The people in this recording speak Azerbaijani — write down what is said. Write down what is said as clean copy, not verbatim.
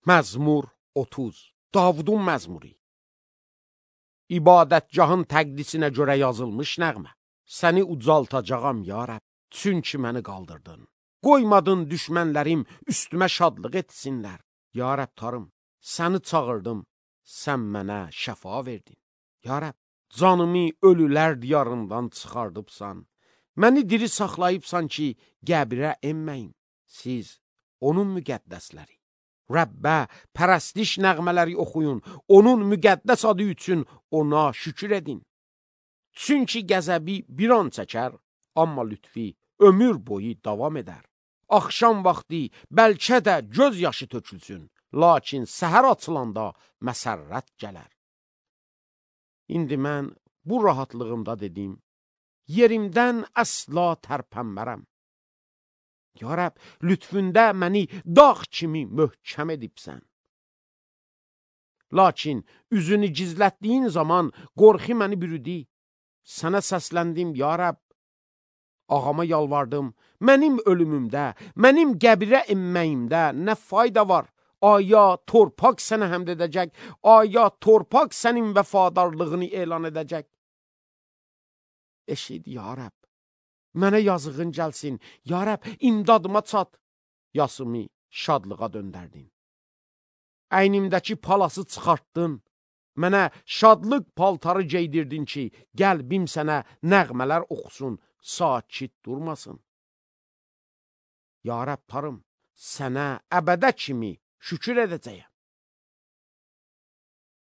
Məzmur 30, Davudun məzmuri. İbadətgahın təqdisinə görə yazılmış nəğmə. Səni ucaltacağam, ya Rəbb, çünki məni qaldırdın. Qoymadın düşmənlərim üstümə şadlıq etsinlər. Ya Rəbb Tanrım, səni çağırdım, sən mənə şəfa verdin. Ya Rəbb, canımı ölülər diyarından çıxardıbsan. Məni diri saxlayıbsan ki, qəbirə enməyim. Siz onun müqəddəsləri. Rəbbə pərəstiş nəğmələri oxuyun, onun müqəddəs adı üçün ona şükür edin. Çünki qəzəbi bir an çəkər, amma lütfi ömür boyu davam edər. Axşam vaxtı bəlkə də göz yaşı tökülsün, lakin səhər açılanda məsərrət gələr. İndi mən bu rahatlığımda dedim, yerimdən əsla tərpənmərəm. Ya Rəbb, lütfündə məni dağ kimi möhkəm edibsən. Lakin üzünü gizlətdiyin zaman qorxu məni bürüdü. Sənə səsləndim, ya Rəbb. Ağama yalvardım, mənim ölümümdə, mənim qəbirə enməyimdə nə fayda var? Aya torpaq sənə həmd edəcək, aya torpaq sənin vəfadarlığını elan edəcək. Eşid, ya Rəbb. Mənə yazığın gəlsin, ya Rəbb, imdadıma çat. Yasımı şadlığa döndərdin. Əynimdəki palası çıxartdın. Mənə şadlıq paltarı geydirdin ki, qəlbim sənə nəğmələr oxusun, sakit durmasın. Ya Rəbb Tanrım, sənə əbədə kimi şükür edəcəyəm.